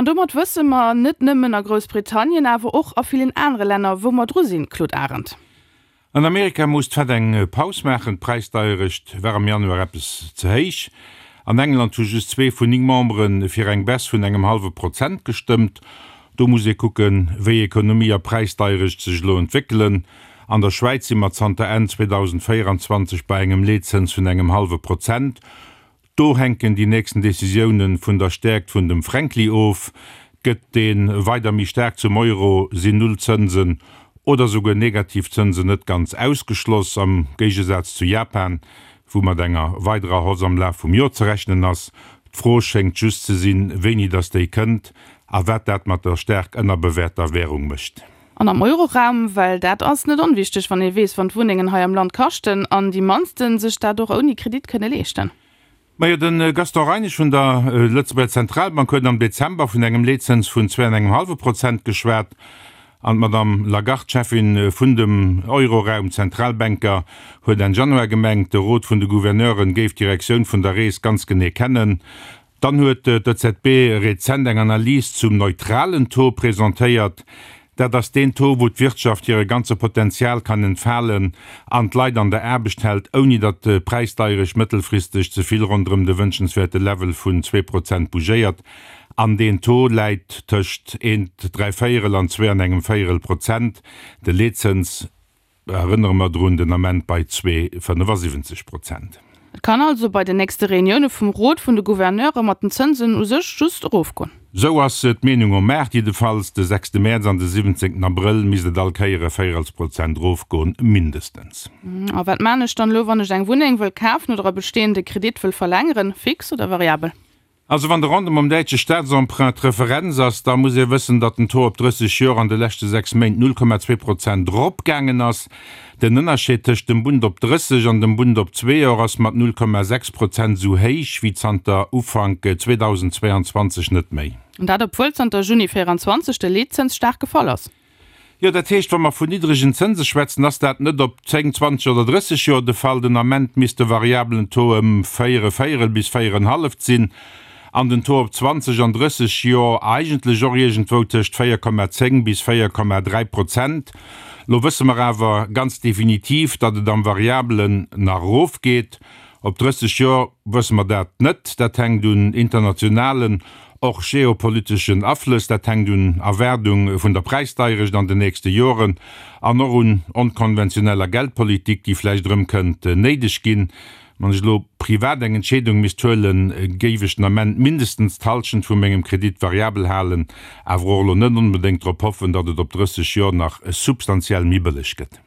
domat wësse mer, net nëmmen a Groussbritannien, awer och a villen anere Länner, wou mer dru sinn, Claude Arend. An Amerika muss d'Fed eng Paus maachen, d'Präisdeierecht war am Januar eppes ze héich. An England hu just zwee vun 9 Membere fir eng Baisse vun engem hallwe Prozent gestëmmt. Do muss ee kucken, wéi Ekonomie a Präisdeierecht sech elo entwéckelen. An der Schwäiz si mer zanter Enn 2024 bei engem Leetzëns vun engem hallwe Prozent. Do hänken déi nächsten Decisioune vun der Stäerkt vun dem Fränkli of. Gëtt dee weider méi staark zum Euro, sinn Nullzënsen oder souguer negativ Zënsen net ganz ausgeschloss, am Géigesaz zu Japan, wou mat enger weiderer Hausse am Laf vum Joer ze rechnen ass. D'Fro schéngt just ze sinn, wéini datt déi kënnt a wat dat mat der staark ënnerbewäerter Wärung mécht. An am Euroraum, well dat ass net onwichteg, wann ee weess, wann d'Wunnengen hei am Land kaschten an déi mannsten sech dat och ouni Kredit kënne leeschten. Majo, de Gaston Reinesch vun der Lëtzebuerger Zentralbank huet am Dezember vun engem Leetzëns vun zwee an engem hallwe Prozent geschwat an d'Madame Lagarde, Cheffin vun dem Euroraum, Zentralbänker, huet Enn Januar gemengt, de Rot vun de Gouverneuren géif d'Direktioun vun der Rees ganz genee kennen. Dann huet d'EZB rezent eng Analys zum neutralen Taux presentéiert. Dat ass deen Taux, wou d'Wirtschaft hire ganze Potenzial kann entfalen an d'Leit an der Aarbecht hält, ouni datt d'Präisdeierecht mëttelfristeg ze vill ronderëm de wënschenswäerte Level vun 2% bougéiert. An deen Taux läit tëscht eent dräivéierel an zwee an engem Véierel Prozent. De Leetzëns Erënnere mer drun, den Ament bei 2,75 Prozent. Et kann also bei den nächste Reunioune vum Rot vun de Gouverneure mat den Zënsen u sech just erofgoen. Sou ass d'Meenung um Maart jiddefalls. De sechste Mäerz an de siwwenzéngten Abrëll misst et all Kéier e Véierelsprozent erofgoen, mindestens. A wat maan ech dann elo, wann ech eng Wunneng wëll kafen oder e bestehende Kredit wëll verlängeren, fix oder variabel? Also wann de Rendement um däitsche Staatsemprunt d'Referenz ass, da muss ee wëssen, datt den Taux op 30 Joer an de leschte 6 Méint 0,2 Prozent eropgaangen ass. Den Ënnerscheed tëscht dem Bund op 30 an dem Bund op zwee Joer ass mat 0,6 Prozent esou héich wéi zanter Ufank 2022 net méi. An dat obwuel zanter Juni 24 de Leetzëns staark gefall ass. Jo, dat heescht, wa mer vun niddregen Zënse schwätzen, ass dat net op 10, 20 oder 30 Joer de Fall. Den Ament misst de variabelen Taux ëm 4 e Véierel bis 4 en halleft sinn an den Taux op 20 an 30 Joer eigentlech och iergendwou tëscht 4,10 bis 4,3 Prozent. Lo wësse mer awer ganz definitiv, datt et am Variabelen nach erofgeet. Op 30 Joer wësse mer dat net. Dat hänkt un internationalen, och geopoliteschen Aflëss, dat hänkt un Erwaardung vun der Präisdeierecht an den nächste Joren an och un onkonventioneller Geldpolitik, déi vläicht erëm kënnt néideg ginn. Wann ech elo privat eng Entscheedung misst huelen, géif ech den Ament mindestens d'Hallschent vu mengem Kredit variabel halen, awer och elo net onbedéngt drop hoffen, datt et op 30 Joer nach substantiell méi bëlleg gëtt.